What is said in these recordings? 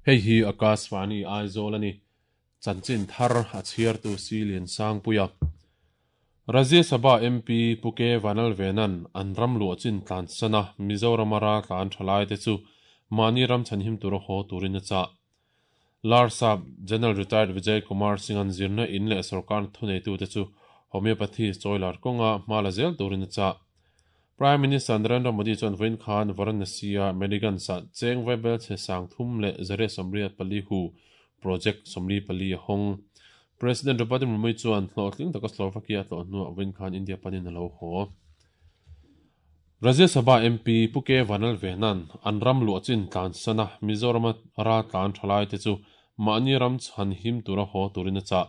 Hei hi Akashvani Aizawl a ni. Chanchin thar a chhiartu Si Liansangpuia. Rajya Sabha MP Pu K Vanlalvena'n an ram luah chin tlansan a Mizorama raltlan thalaite chu mahni ram chhanhim tura haw turin a chah. Larsap General Retired Vijay Kumar Singh-a'n zirna in leh sorkar thuneitute chu Homeopathy chawilar kawnga hma la zel turin a chah. Prime Minister Narendra Modi chuan vawiin khan Varanasi-a Meliganj-ah cheng vaibel chhe 384 hu project 44 a hawng. President Draupadi Murmu chuan hlawhtling taka Slovakia a tlawh hnuah vawiin khan India panin a lo haw. Rajya Sabha MP Pu K Vanlalvena'n an ram luah chin tlansana Mizorama raltlan thalaite chu mahni ram chhan him tura haw turin a chah.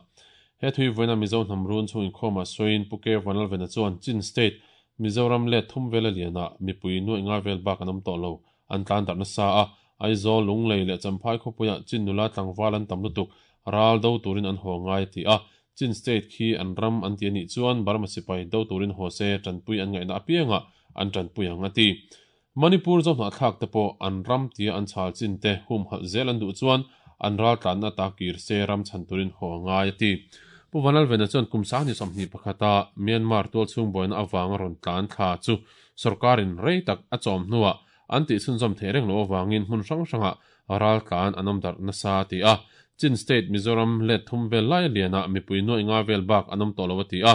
He thui vawiina Mizo hnam run chhung inkhawmah sawiin Pu K Vanlalvena chuan Chin State Mizoram let thum vela lianah mipui nuaih nga vel bak an awm tawh lo, an tlan darh nasa a, Aizawl, Lunglei leh Champhai khawpuiah Chin nula tlangval an tam lutuk, ral do turin an haw ngai a ti a, Chin State khi an ram an ti a nih chuan Burma sipai do turin haw se tanpui an ngaihna apiangah an tanpui ang a ti. Manipur zohnahthlak te pawh an ram tia an chhal chin te humhalh zel an duh chuan an ral tlanna ata kir se ram chhan turin haw a ngai a ti. Pu Vanlalvena chuan kum 2021 a Myanmar tualchhung buaina avanga rawn tlan thla chu sorkarin rei tak a chawm hnuah an tih chhunzawm theih reng loh avangin hmun hrang hrangah ral tlan an awm darh nasa a ti a. Chin State Mizoram let thum vel lai lianah mipui nuaih nga vel bak an awm tawh lo a ti a.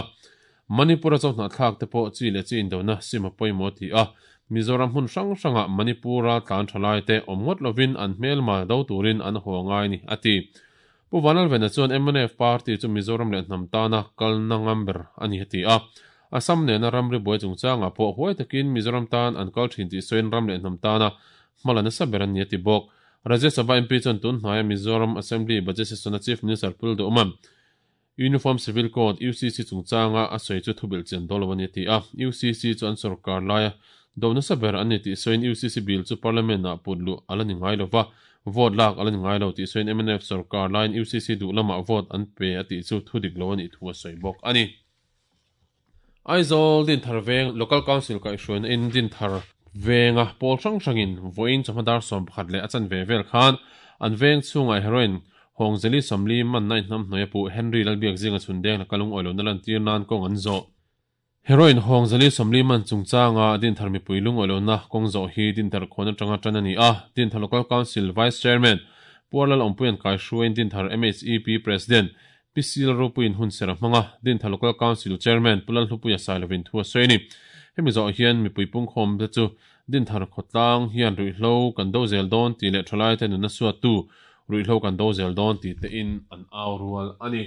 Manipur-a chawhnahthlak te pawh chi leh chi indona sim a pawimawh a ti a, Mizoram hmun hrang hrangah Manipur-a tlan tha lai te awm ngawt lovin an hmelma do turin an haw ngai ni, a ti. Pu Vanlalvena chuan mnf party chu Mizoram leh hnam tana kalna ngam ber a ni a ti a, Assam nena ramri buai chungchangah pawh huai takin Mizoram tan an kal thin tih sawiin ram leh hnam tana hmala nasa ber an ni a ti bawk. Rajya Sabha MP chuan tun hnaia Mizoram Assembly Budget Session-a Chief Minister Pu Lalduhawma'n Uniform Civil Code, UCC, chungchanga a sawi chu thubilh chian dawn lo a ni a ti a. UCC chu an sorkar laia do nasa ber an ni tih sawiin UCC bill chu Parliament-ah put luh a la ni ngai lo va, vote lak a la ni ngai lo tih sawiin mnf sorkar laiin UCC duh lamah vote an pe a tih chu thu dik lo a nih thu a sawi bawk a ni. Aizawl Dinthar Veng Local Council kaihhruaina in Dinthar Venga pawl hrang hrangin vawiin chawhma dar 11 leh a chanve vel khan an veng chhungah heroin Hawngzeli 40 manna inhnamhnawih a puh Henry Lalbiak zinga chhun deng laka lungawi lohna lantir nan kawng an zawh. Heroin Hawngzeli 40 man chungchanga Dinthar mipui lungawi lohna kawng zawh hi Dinthar khuan atanga tan a ni a, Dinthar Local Council Vice Chairman Puarlal Awmpuian kaihruaiin Dinthar MHEP President Pi Sil Ropuiin hun ser a hmang a, Dinthar Local Council Chairman Pu Lalhlupuia Sailovin thu a sawi a ni. Hemi zawh hian mipui pungkhawm te chu Dinthar khawtlang hian ruihhlo kan do zel dawn tih leh thalaite nunna suattu ruihhlo kan do zel dawn tih tein an au rual a ni.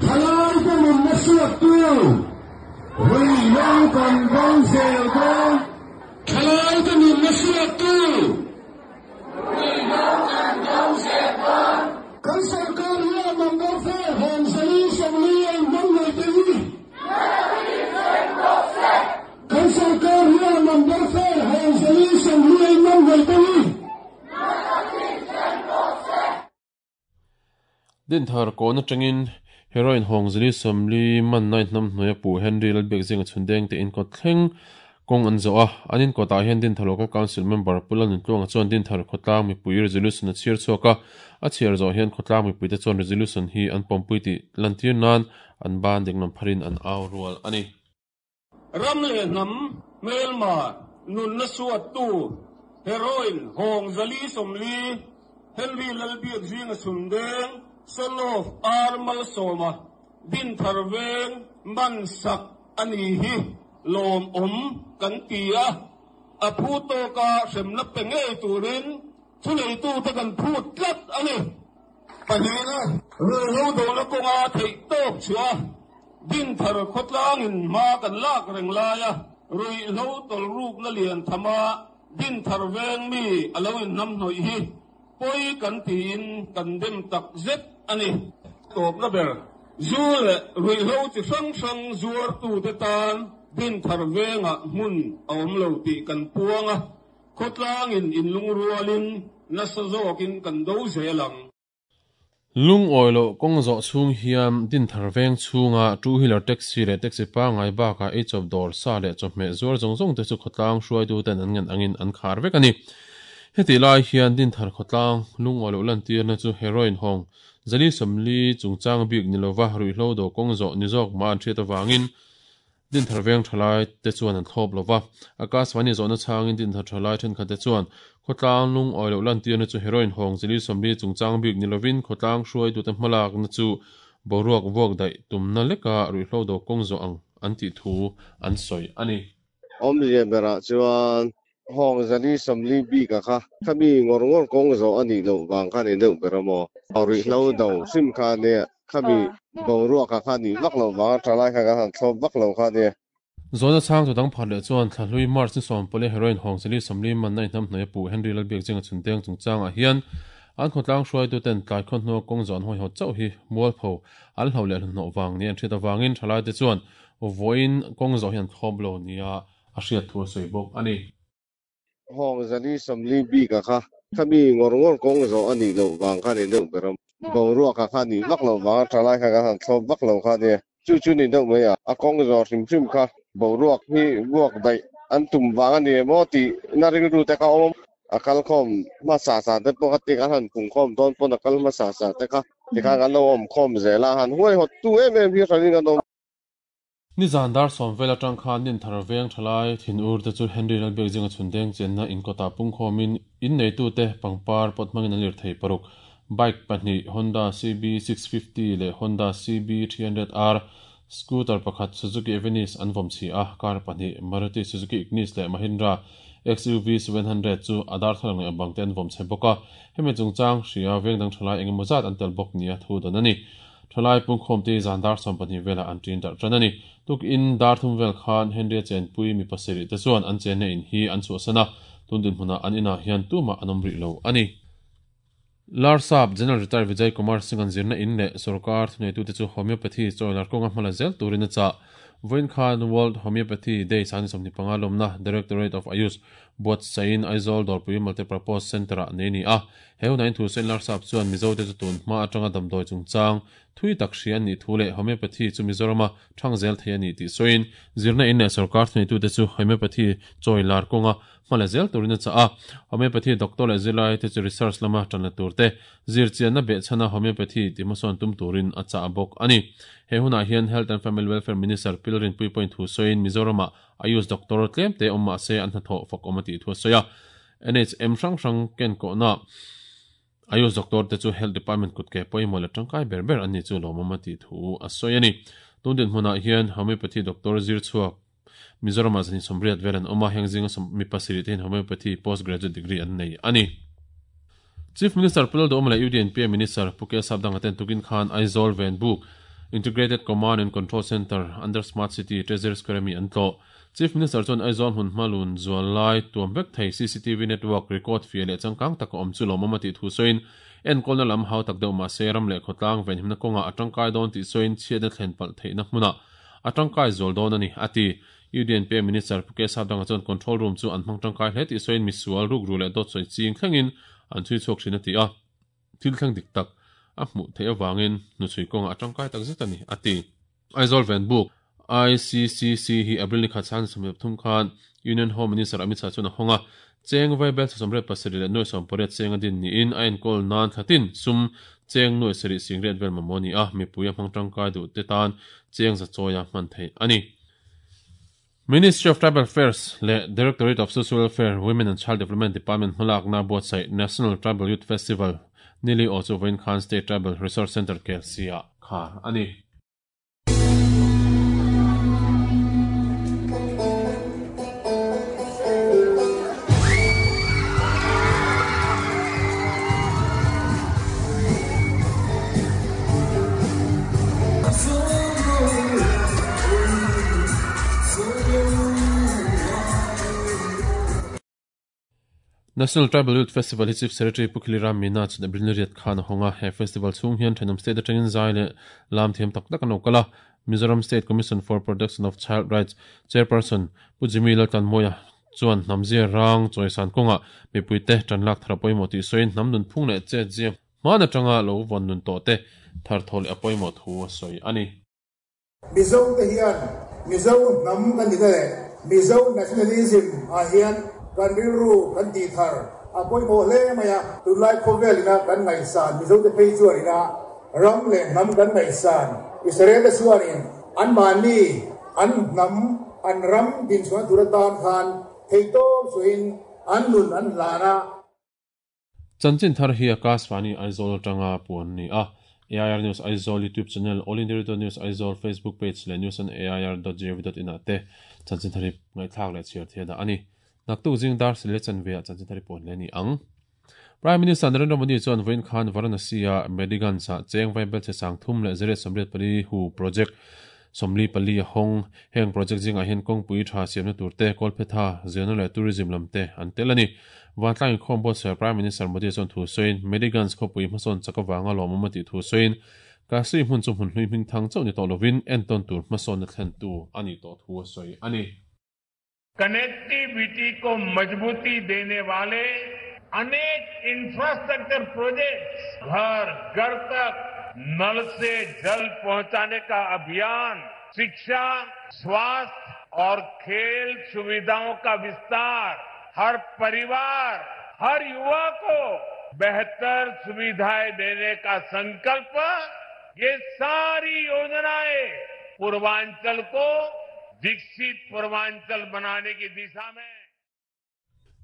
Thalaite nunna suattu ruihhlo kan do zel dawn. Thalaite nunna suattu. Ruihhlo kan do zel dawn. Kan sorkar hian number four hawng zali 40 a inhmang ngei te hi. Kan sorkar hian number four hawng zali 40 a inhmang ngei te hi. Dinthar kawn atangin heroin hawng zali 40 manna inhnam hnuaia puh Henry Lalbiak zinga chhundeng te inkawt thleng kawng an zawh a. An inkawtah hian Dinthar Local Council member Pu Lalnuntluanga chuan Dinthar khawtlang mipui resolution a chhiar chhuak a. A chhiar zawh hian khawtlang mipuite chuan resolution hi an pawmpui tih lantir nan an ban dinglam pharin an au rual a ni. Ram leh hnam hmelma nunna suattu heroin Hawng zali 40 Henry Lalbiak zinga chhundeng son of R Malsawma Dinthar Veng man sak a ni hi lawmawm kan ti a, a phu tawka hremna pe ngei turin thuneitute kan phut tlat a ni. Pahnihna, ruihhlo dona kawnga theih tawk chhuah a, Dinthar khawtlangin hma kan lak reng laia ruihhlo tawlrukna lian thama Dinthar veng mi a lo inhnamhnawih hi pawi kan tiin kan dem tak zet a ni. Tawpna ber, zu leh ruihhlo chi hrang hrang zuartute tan Dinthar vengah hmun a awm lo tih kan puang a, Khawtlangin inlungrualin nasa zawkin kan do zel ang. Lungawi loh kawng zawh chhung hian Dinthar veng chhunga two wheeler taxi leh taxi pangngai bakah eichawp dawr sa leh chawhmeh zuar zawng zawng te chu khawtlang hruaituten an ngen angin an khar vek a ni. Hetih lai hian Dinthar khawtlang lungawi loh lantirna chu heroin hawng 440 chungchang bik ni lova ruihhlo do kawng zawh ni zawk mah an hriat avangin Dinthar veng thalai te chuan an thlawp lova. Akashvani zawhna chhangin Dinthar thalai thenkhat te chuan khawtlang lungawi loh lantirna chu heroin hawng 440 chungchang bik ni lovin khawtlang hruaitute hmalakna chu boruak vuak daih tumna leka ruihhlo do kawng zawh ang an tih thu an sawi a ni. Awmzia berah chuan hawng 440 bik a kha khami ngawr ngawr kawng zawh a nih loh vang kha ni deuh ber a maw? Ruihhlo do hrim kha nia khami boruak a kha nih vak loh vang a thalai kha kan han thlawp vak lo kha nia. Zawhna chhang tu dang phat leh chuan Thlahlui March ni 10 heroin hawng 440 manna inhnamhnawih a puh Henry Lalbiakzinga chhundeng chungchangah hian an khawtlang hruaituten tlai khaw hnua kawng zawh an hawihaw chauh hi mualpho an hlo leh hnahnawh vang nia an hriat avangin thalaite chuan vawiin kawng zawh hi an thlawp lo nia a hriat thu a sawi bawk a ni. Hawng 440 bik a kha khami ngawr ngawr kawng zawh a nih loh vang kha ni deuh ber a boruak a kha nih vak loh vang a thalai kha kan han thlawp vak lo kha nia chu chu ni deuh mai a a kawng zawh hrim hrim kha boruak hi vuak daih an tum vang a ni emaw tih na rilru te kha awm a kal khawm hmasa sa te pawh kha ti kan han pung khawm dawn pawn a kal hmasa sa te kha tikhan kan lo awm khawm zel a han huaihawt tu em em hi hranin an awm. Nizan dar 10 vel atang khan Dinthar veng thalai thin ur te chu Henry Lalbiakzinga chhundeng chenna inkawtah pungkhawmin in neitute pangpar pawt hmangin an lir thei paruk. Bike pahnih Honda CB 650 leh Honda CB 300R scooter pakhat Suzuki Avenis an vawm chi a, car pahnih Maruti Suzuki Ignis leh Mahindra XUV 700 chu a darthlalang leh a bang te an vawm chhe bawk a. Hemi chungchang hria veng dang thalai engemaw zat an tel bawk nia thu dan a ni. Thalai pungkhawm te zan dar 12 velah an tin darh tan a ni. Tuk in dar thum vel khan Henry a chenpui mi pasarih te chuan an chenna in hi an chhuahsan a, tun dinhmunah an inah hian tumah an awm rih lo a ni. Larsap General Retired Vijay Kumar Singh an zirna in leh sarkar thuneitute chu homeopathy chawilar kawnga hmala zel turin a chah. Vawiin khan World Homeopathy Day 2025 lawmna Directorate of Ayush buatsain Aizawl Dawrpui Multipurpose Centre-ah nei ni a. He hunain thu sawiin Larsap chuan Mizote chu tun hma atanga damdawi chungchang thui tak hria an nih thu leh homeopathy chu Mizorama thang zel thei a ni tih sawiin zirna in leh sarkar thuneitute chu homeopathy chawilar kawnga hmala zel turin a chah a. Homeopathy doctor leh zirlai te chu research lama tanla tur te zirchianna behchhana homeopathy ti hmasawn tum turin a chah bawk a ni. He hunah hian Health and Family Welfare Minister Pilrin Puipuiin thu sawiin Mizorama Ayush doctor tlem te awm mahse an hnathawh fak awm a tih thu a sawi a. NHM hrang hrang ken kawhna Ayush doctor te chu Health Department kut ke pawimawh leh tangkai ber ber an ni chu lawmawm a tih thu a sawi a ni. Tun dinhmunah hian homeopathy doctor zir chhuak Mizorama 180 vel an awm a, heng zinga mi pasarih te hian homeopathy postgraduate degree an nei a ni. Chief Minister Pu Lalduhoma leh UDNP Minister Pu K Sapdanga ten tukin khan Aizawl Venbuk Integrated Command and Control Centre under Smart City Treasury Square mi an tlawh. Chief Minister chuan Aizawl hmun hmalun zual lai tuam vek thei CCTV network record fia leh changkang tak a awm chu lawmawm a tih thu sawiin enkawlna lam hau tak deuh mahse ram leh khawtlang venhimna kawnga a tangkai dawn tih sawiin chhiatna thlen palh theihna hmunah a tangkai zual dawn a ni a ti. UDNP Minister Pu K Sapdanga chuan control room chu an hmang tangkai hle tih sawiin misual rukru leh dawt sawi ching thlengin an chhui chhuak thin a ti a. Thil thleng dik tak a hmuh theih avangin hnuchhui kawnga a tangkai tak zet a ni a ti. Aizawl Venbuk ICCC hi April ni khat san 13 khan Union Home Minister Amit Shah chuan a hawng a. Cheng vaibel 87 leh nuai 18 cheng a din niin a enkawl nan thlatin sum cheng nuai sarih singriat vel mamawh a ni a, mipui a hmang tangkai duh te tan cheng za chawia hman theih a ni. Ministry of Tribal Affairs leh Directorate of Social Welfare, Women and Child Development Department hmalakna buatsaih National Tribal Youth Festival nili aw chu vawiin khan State Tribal Resource Centre KLC-ah khar a ni. National Tribal Youth Festival hi Chief Secretary Pu Khiliram Meena chuan April ni riat khan a hawng a. He festival chhung hian thenawm state atangin zai leh lam thiam tak tak an lo kal a. Mizoram State Commission for Protection of Child Rights Chairperson Pu Jimmy Laltlanmawia chuan hnamzia rang chawisan kawnga mipuite tanlak thar a pawimawh tih sawiin hnam nun phung leh chet zia hman atanga lo vawn nun tawh te thar thaw leh a pawimawh thu a sawi a ni. Mizo te hian Mizo hnam kan ni ta leh Mizo nationalism ah hian kan rilru kan tih thar. A pawimawh hle mai a, tunlai khawvel ina kan ngaihsan Mizote phei chuan ina ram leh hnam kan ngaihsan Israel te chuanin anmahni an hnam an ram dinchhuahna tur atan khan theihtawp suahin an nun an hlan a. Chanchin thar hi Akashvani Aizawl atanga puan a ni a, AIR News Aizawl YouTube channel, All India Radio News Aizawl Facebook page leh news on air dot gov dot in ah te chanchin thar hi ngaihthlak leh chhiar thei a dah a ni. Naktuk zing dar sileh chanve ah chanchin thar hi puan hle a ni ang. Prime Minister Narendra Modi chuan vawiin khan Varanasi-a Mediganj-ah cheng vaibelchhe 384 hu project 44 a hawng. Heng project zingah hian kawngpui tha siamna tur te, kawlphetha, zirna leh tourism lam te an tel a ni. Vantlang inkhawm buatsaih Prime Minister Modi chuan thu sawiin, Mediganj khawpui hmasawn chak avanga lawmawm a tih thu sawiin, Kasi hmun chu hmun hlui hming thang chauh ni tawh lovin entawn tur hmasawnna thlentu a nih tawh thu a sawi a ni. Connectivity को मजबूती देने वाले अनेक infrastructure projects घर घर तक नल से जल पहुंचाने का अभियान शिक्षा स्वास्थ्य और खेल सुविधाओं का विस्तार हर परिवार हर युवा को बेहतर सुविधाएं देने का संकल्प ये सारी योजनाएं पूर्वांचल को विकसित पूर्वांचल बनाने की दिशा में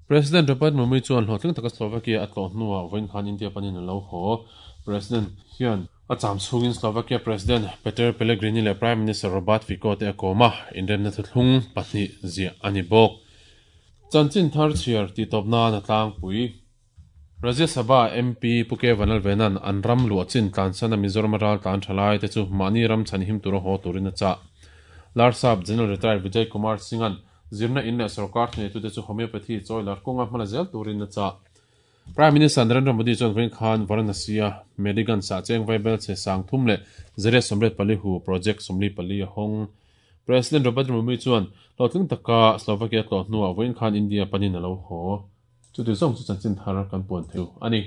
President Draupadi Murmu chuan hlawhtling taka Slovakia a tlawh hnuah vawiin khan India panin a lo haw. President hian a cham chhungin Slovakia President Peter Pellegrini leh Prime Minister Robert Fico te a kawm a, inremna thuthlung pahnih ziah a ni bawk. Chanchin thar chhiar tihtawp nan a tlangpui. Rajya Sabha MP Pu K Vanlalvena'n an ram luah chin tlansana Mizoram ral tlan tha lai te chu mahni ram chhan him tura haw turin a chah. Larsap General Retired Vijay Kumar Singh-a'n zirna in leh sorkar thuneitu te chu homeopathy chawi lar kawnga hmala zel turin a chah. Prime Minister Narendra Modi chuan vawiin khan Varanasi-a Mediganj ah cheng vaibelchhe 3884 hu project 44 a hawng. President Draupadi Murmu chuan hlawhtling taka Slovakia tlawh hnuah vawiin khan India panin a lo haw. Chuti zawng chu chanchin thar kan puan thei a ni.